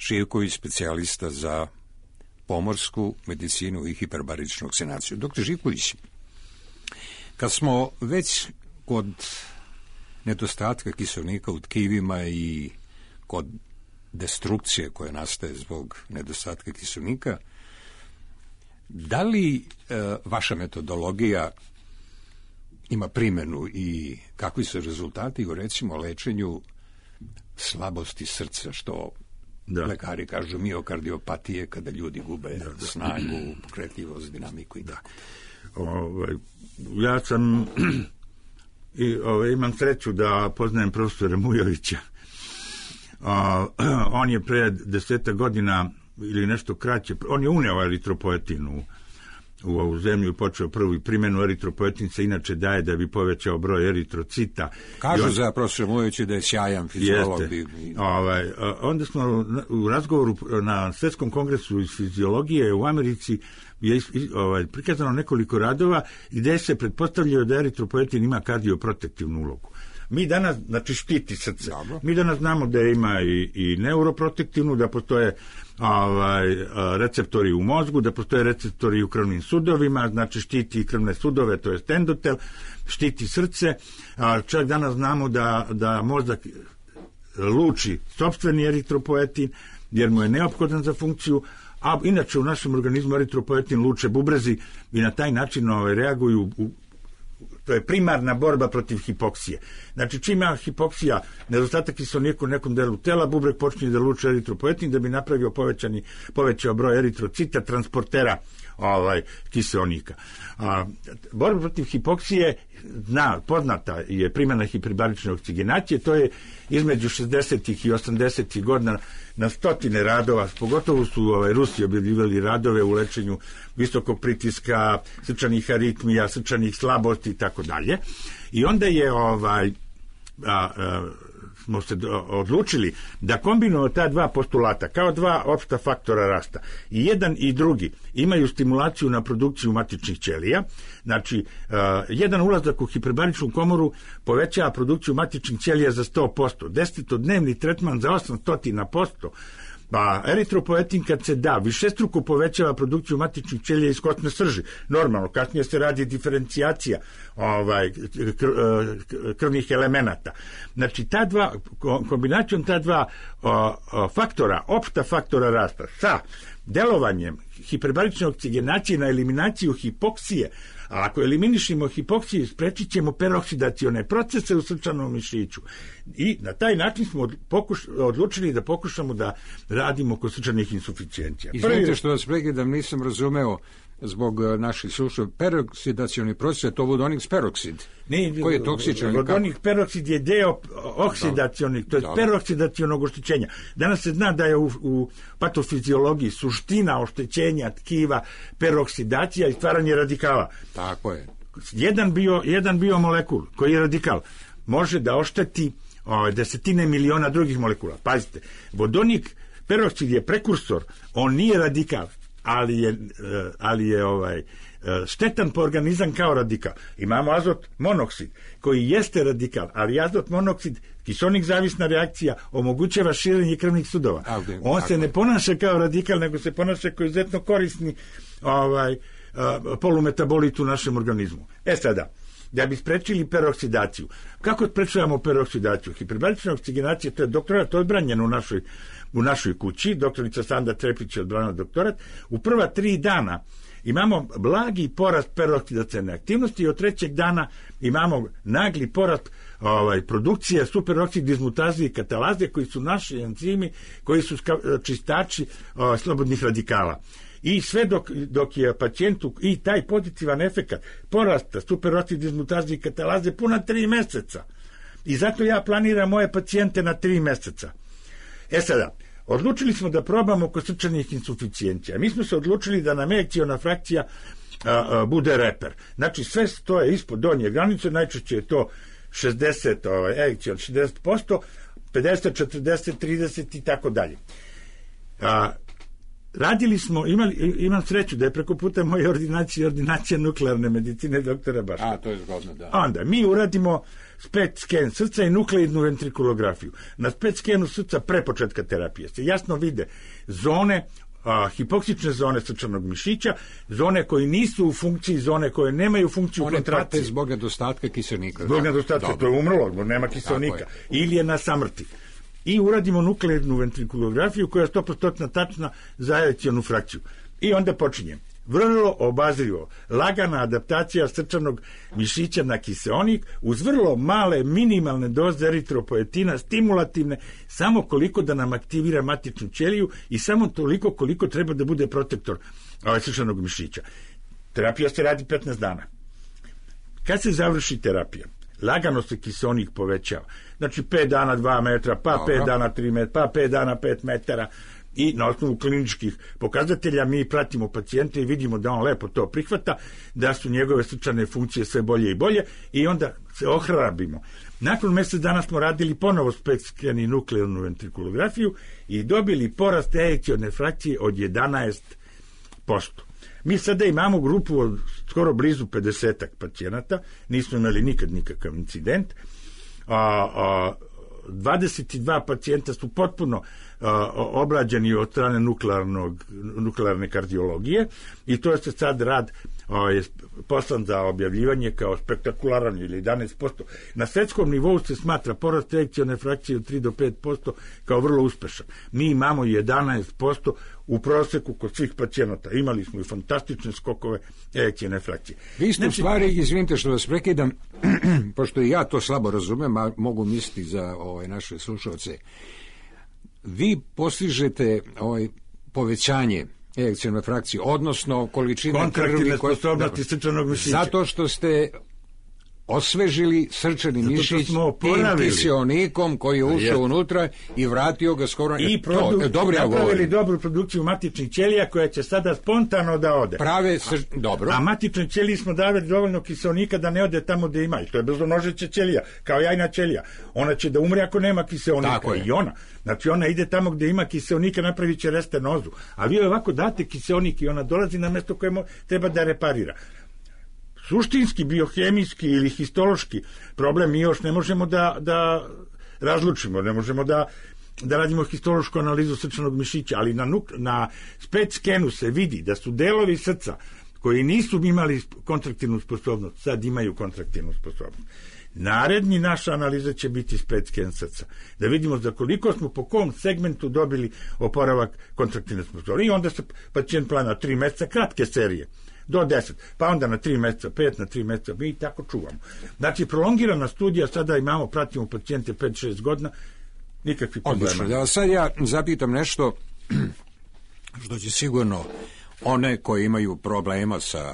Živković, specijalista za pomorsku medicinu i hiperbaričnu vakcinaciju. Dr. Živković, kad smo već kod nedostatka kiseonika u tkivima i kod destrukcije koja nastaje zbog nedostatka kiseonika, da li vaša metodologija ima primjenu i kakvi su rezultati u, recimo, lečenju slabosti srca, što lekari kažu miokardiopatije, kada ljudi gube snagu, pokretljivost, dinamiku i tako. Ja sam imam sreću da poznajem profesora Mujovića. On je pre 10 godina ili nešto kraće, on je uneo eritropoetin u ovu zemlju počeo prvu primjenu eritropoetin se inače daje da bi povećao broj eritrocita. Kažu za profesor Mujović da je sjajan fiziolog. Onda smo u razgovoru na Svjetskom kongresu iz fiziologije u Americi je prikazano nekoliko radova gdje se pretpostavljaju da eritropoetin ima kardioprotektivnu ulogu. Mi danas, znači štiti srce. Dobro. Mi danas znamo da ima i neuroprotektivnu, da postoje receptori u mozgu, da postoje receptori u krvnim sudovima, znači štiti krvne sudove, to je endotel, štiti srce. Čak danas znamo da mozak luči sopstveni eritropoetin, jer mu je neophodan za funkciju, a inače u našem organizmu eritropoetin luče bubrezi i na taj način reaguju to je primarna borba protiv hipoksije. Znači, čim ima hipoksija, nedostatak kiseonika u nekom delu tela, bubreg počne da luče eritropoetin da bi napravio povećao broj eritrocita, transportera kiseonika. Borba protiv hipoksije, poznata je primjena hiperbarične oksigenacije, to je između 60. i 80. godina na stotine radova, pogotovo su Rusi objavljivali radove u lečenju visokog pritiska, srčanih aritmija, srčanih slabosti i tako dalje. I onda je smo se odlučili da kombinujemo ta dva postulata kao dva opšta faktora rasta. I jedan i drugi imaju stimulaciju na produkciju matičnih ćelija. Znači, jedan ulazak u hiperbaričnu komoru povećava produkciju matičnih ćelija za 100%. 10-dnevni tretman za 800%. Pa eritropoetin kad se da, višestruko povećava produkciju matičnih ćelija iz kostne srži. Normalno, kasnije se radi diferencijacija krvnih elemenata. Znači, kombinacijom ta dva faktora, opšta faktora rasta sa delovanjem hiperbarične oksigenacije na eliminaciju hipoksije, a ako eliminišemo hipoksiju, sprečit ćemo peroksidacione procese u srčanom mišiću. I na taj način smo odlučili da pokušamo da radimo kod srčanih insuficijencija. Izvinite što vas prekidam, nisam razumeo zbog naših slušanja, peroksidacioni proces je to vodonik peroksid. Koji je toksičan? Vodonik peroksid je deo oksidacionih, to je peroksidacionog oštećenja. Danas se zna da je u patofiziologiji suština oštećenja tkiva peroksidacija i stvaranje radikala. Tako je. Jedan biomolekul koji je radikal može da ošteti desetine miliona drugih molekula. Pazite, vodonik peroksid je prekursor, on nije radikal, ali je štetan po organizam kao radikal. Imamo azot monoksid koji jeste radikal, ali azot monoksid, kiseonik zavisna reakcija, omogućava širenje krvnih sudova. On se ne ponaša kao radikal, nego se ponaša kao izuzetno korisni polumetabolit u našem organizmu. Sada, da bi sprečili peroksidaciju. Kako sprečavamo peroksidaciju? Hiperbarična oksigenacija, to je doktorat odbranjen u našoj kući, doktorica Sanda Trepić je odbranila doktorat. U prva 3 dana imamo blagi porast peroksidacione aktivnosti i od 3. dana imamo nagli porast produkcije superoksid dismutaze i katalaze, koji su naši enzimi, koji su čistači slobodnih radikala. I sve dok je pacijentu i taj pozitivan efekat porasta superoksid dismutaze i katalaze puna 3 meseca. I zato ja planiram moje pacijente na 3 meseca. Sada, odlučili smo da probamo kod srčanih insuficijencija. Mi smo se odlučili da nam ejekciona frakcija bude reper. Znači, sve stoje ispod donje granice, najčešće je to 60, ejekcion 60%, 50, 40, 30 i tako dalje. Radili smo, imam sreću da je preko puta moje ordinacija nuklearne medicine doktora Baška. To je zgodno, da. Onda, mi uradimo PET sken srca i nukleidnu ventrikulografiju. Na PET skenu srca pre početka terapije se jasno vide zone, hipoksične zone srčanog mišića, zone koje nisu u funkciji, zone koje nemaju funkciju kontrakcije. One zbog nedostatka kiseonika. Zbog nedostatka, to je umrlo, zbog nema kiseonika. Ili je na samrti. I uradimo nukleidnu ventrikulografiju koja je 100% tačna za ejekcionu frakciju. I onda počinjem. Vrlo obazrivo, lagana adaptacija srčanog mišića na kiseonik uz vrlo male minimalne doze eritropoetina, stimulativne, samo koliko da nam aktivira matičnu ćeliju i samo toliko koliko treba da bude protektor srčanog mišića. Terapija se radi 15 dana. Kad se završi terapija, lagano se kiseonik povećava. Znači 5 dana 2 metra, pa 5 dana 3 metra, pa 5 dana 5 metara i na osnovu kliničkih pokazatelja mi pratimo pacijente i vidimo da on lepo to prihvata, da su njegove srčane funkcije sve bolje i bolje i onda se ohrabrimo. Nakon mjesec dana smo radili ponovo PET sken i nuklearnu ventrikulografiju i dobili porast ejekcione frakcije od 11%. Mi sada imamo grupu od skoro blizu 50 pacijenata, nismo imali nikad nikakav incident, 22 pacijenta su potpuno obrađeni od strane nuklearne kardiologije i to je se sad rad je poslan za objavljivanje kao spektakularan ili 11%. Na svetskom nivou se smatra porast ejekcione frakcije od 3 do 5% kao vrlo uspešan. Mi imamo 11% u proseku kod svih pacijenata. Imali smo i fantastične skokove ejekcione frakcije. Vi ste u stvari, izvinite što vas prekidam, pošto i ja to slabo razumem, a mogu misliti za naše slušalce, vi postižete povećanje ejekcione frakcije, odnosno količine kontraktilne sposobnosti srčanog mišića. Zato što ste osvežili srčani mišić tim kiseonikom koji je ušao unutra i vratio ga skoro... I napravili dobru produkciju matičnih ćelija koja će sada spontano da ode. Dobro. A matičnoj ćeliji smo davali dovoljno kiseonika da ne ode tamo gde ima. I to je brzonožeća ćelija, kao jajna ćelija. Ona će da umre ako nema kiseonika. I ona. Znači ona ide tamo gde ima kiseonika, napravit će restenozu. A vi ovako date kiseonik i ona dolazi na mesto koje treba da reparira. Suštinski, biohemijski ili histološki problem mi još ne možemo da razlučimo, ne možemo da radimo histološku analizu srčanog mišića, ali na PET skenu se vidi da su delovi srca koji nisu imali kontraktilnu sposobnost, sad imaju kontraktilnu sposobnost. Naredni naša analiza će biti PET sken srca. Da vidimo za koliko smo po kom segmentu dobili oporavak kontraktilne sposobnosti. I onda se pacijent plana 3 meseca, kratke serije, do 10, pa onda na 3 meseca, 5 na 3 meseca, mi tako čuvamo. Znači, prolongirana studija, sada imamo, pratimo pacijente 5-6 godina, nikakvi problema. Odlično, sad ja zapitam nešto što će sigurno one koji imaju problema sa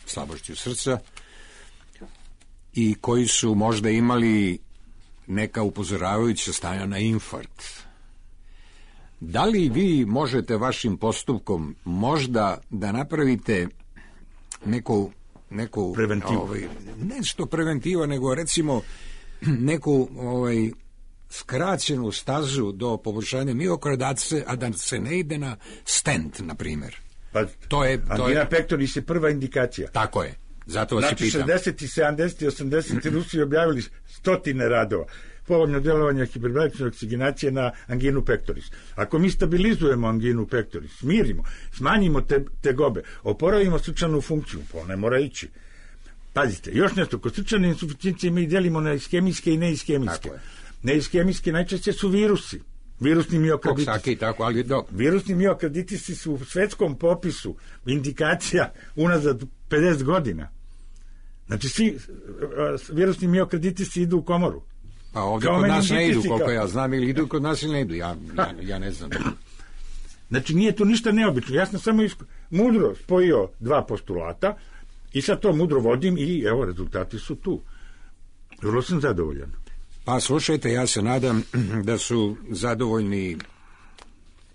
slabošću srca i koji su možda imali neka upozoravajuća stanja na infarkt. Da li vi možete vašim postupkom možda da napravite neku preventivu? Nešto preventiva, nego recimo neku skraćenu stazu do poboljšanja miokarda, a da se ne ide na stent, na primjer. Pa, angina pectoris je prva indikacija. Tako je, zato vas znači, i pitam. 60. 70. 80. Rusi objavili stotine radova. Povoljno djelovanje hiperbarične oksigenacije na anginu pectoris. Ako mi stabilizujemo anginu pectoris, smirimo, smanjimo tegobe, oporavimo srčanu funkciju, pa ne mora ići. Pazite, još nešto, kod srčane insuficijencije mi delimo na iskemijske i neiskemijske. Neiskemijske najčešće su virusi. Virusni miokarditisi. Virusni miokarditisi su u svetskom popisu indikacija unazad 50 godina. Znači, svi virusni miokarditisi idu u komoru. Pa ovdje kod nas ne idu, koliko ja znam, ili idu kod nas ili ne idu, ja ne znam. Znači, nije to ništa neobično. Ja sam samo mudro spojio dva postulata i sad to mudro vodim i evo, rezultati su tu. Vrlo sam zadovoljan. Pa slušajte, ja se nadam da su zadovoljni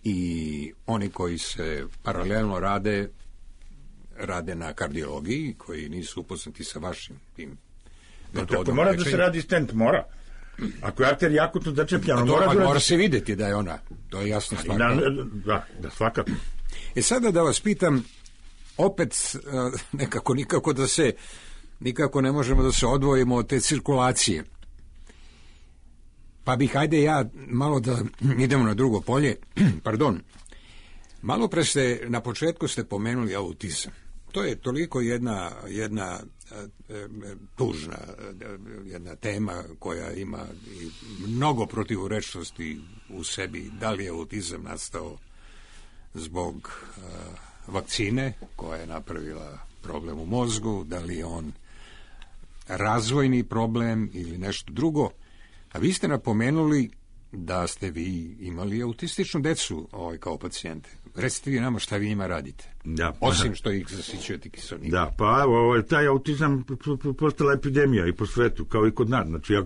i oni koji se paralelno rade na kardiologiji, koji nisu upoznati sa vašim tim metodom. Tako mora da se radi stent, mora. Ako je arterija akutno začepljena, mora se vidjeti da je ona, to je jasno stvar. Da, svakako. Sada da vas pitam, opet nikako ne možemo da se odvojimo od te cirkulacije. Pa bih, ajde ja malo da idemo na drugo polje. Pardon. Malo pre na početku ste pomenuli autizam. To je toliko jedna tužna jedna tema koja ima mnogo protivurečnosti u sebi. Da li je autizam nastao zbog vakcine koja je napravila problem u mozgu, da li je on razvojni problem ili nešto drugo. A vi ste napomenuli da ste vi imali autističnu decu kao pacijente. Recite vi nama šta vi njima radite. Da, osim što ih zasićujete kiselnikom. Da, pa evo, taj autizam postala epidemija i po svetu, kao i kod nas. Znači, ja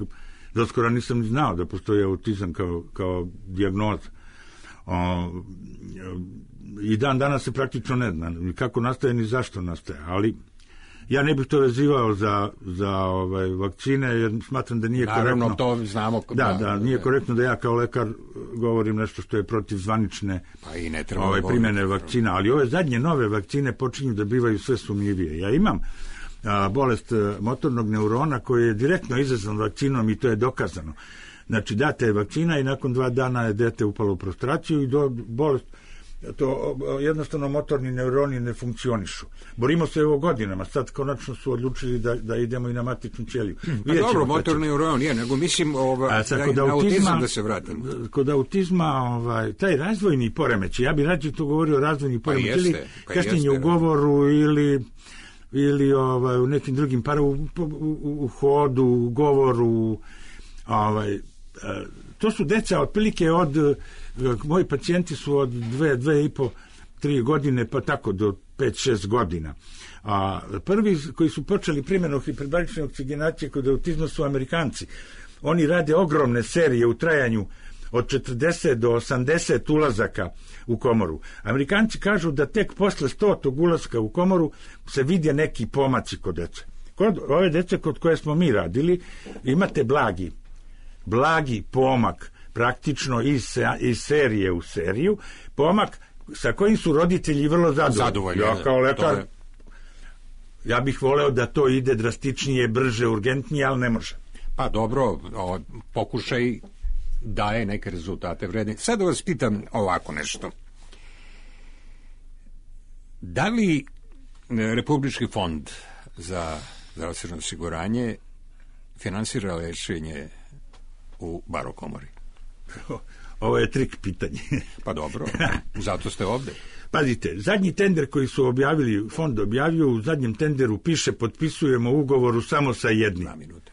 doskoro nisam znao da postoji autizam kao dijagnoza. I dan danas se praktično ne zna kako nastaje ni zašto nastaje, ali ja ne bih to vezivao za vakcine, jer smatram da nije naravno, korektno. to znamo. Nije korektno da ja kao lekar govorim nešto što je protiv zvanične pa i ne treba primjene vakcina, ali ove zadnje nove vakcine počinju da bivaju sve sumnjivije. Ja imam bolest motornog neurona koji je direktno izazvan vakcinom i to je dokazano. Znači, date je vakcina i nakon 2 dana je dete upalo u prostraciju i bolest, to jednostavno motorni neuroni ne funkcionišu. Borimo se evo godinama, sad konačno su odlučili da idemo i na matičnu ćeliju. Pa dobro, motorni neuron je, nego mislim na autizam da se vratim. Kod autizma, taj razvojni poremećaj, ja bih rađe tu govorio o razvojni poremećaj, ili kašnjenje u govoru ili u nekim drugim u hodu, u govoru, to su deca otprilike moji pacijenti su od 2,5, 3 godine pa tako do 5-6 godina. A prvi koji su počeli primjenu hiperbarične oksigenacije kod autizma su Amerikanci. Oni rade ogromne serije u trajanju od 40 do 80 ulazaka u komoru. Amerikanci kažu da tek posle 100. ulaska u komoru se vide neki pomaci kod dece. Kod ove dece kod koje smo mi radili imate blagi pomak praktično iz serije u seriju, pomak sa kojim su roditelji vrlo zadovoljni. Ja kao lekar ja bih voleo da to ide drastičnije, brže, urgentnije, ali ne može. Pa dobro, pokušaj daje neke rezultate vredne. Sad da vas pitam ovako nešto. Da li Republički fond za zdravstveno osiguranje finansira lečenje u Barokomori? Ovo je trik pitanje. Pa dobro, zato ste ovde. Pazite, zadnji tender koji su objavili, fond objavio, u zadnjem tenderu piše potpisujemo ugovoru samo sa jednim. 2 minute.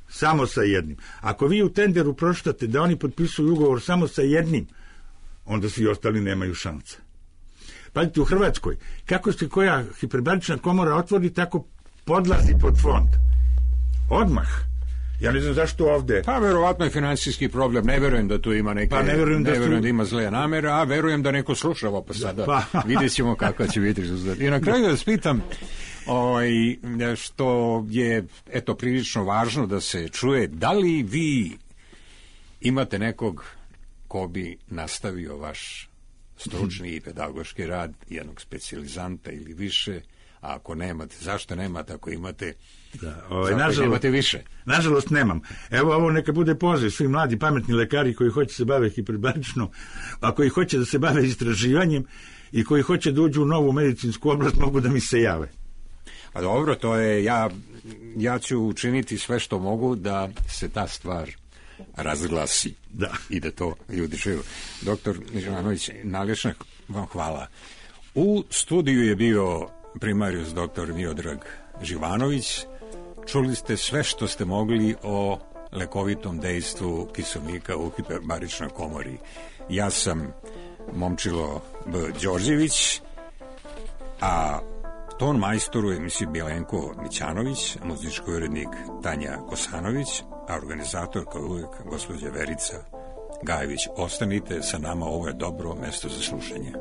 Samo sa jednim. Ako vi u tenderu pročitate da oni potpisuju ugovor samo sa jednim, onda svi ostali nemaju šanse. Pazite, u Hrvatskoj, kako se koja hiperbarična komora otvori, tako podlazi pod fond. Odmah. Ja ne znam zašto ovde. Pa verovatno je finansijski problem, ne verujem da tu ima neke, ne verujem da ima zle namere, a verujem da neko sluša ovo, pa sada vidjet ćemo kakva će biti rezultat. I na kraju da vas pitam, što je prilično važno da se čuje, da li vi imate nekog ko bi nastavio vaš stručni i pedagoški rad, jednog specijalizanta ili više, a ako nemate, zašto nemate, ako imate, zašto nemate više? Nažalost nemam. Evo ovo neka bude poziv svi mladi pametni lekari koji hoće se bave hiperbarično, a koji hoće da se bave istraživanjem i koji hoće da uđu u novu medicinsku oblast, mogu da mi se jave. Pa dobro, to je, ja ću učiniti sve što mogu da se ta stvar razglasi i da to ljudi čuju. Doktor Živanović, najljepša vam hvala. U studiju je bio primarius doktor Miodrag Živanović. Čuli ste sve što ste mogli o lekovitom dejstvu kiseonika u hiperbaričnoj komori. Ja sam Momčilo B. Đorđević, a ton majstor u emisiji Bjelenko Mićanović, muzički urednik Tanja Kosanović, a organizator kao uvijek gospođa Verica Gajević. Ostanite sa nama, ovo je dobro mesto za slušanje.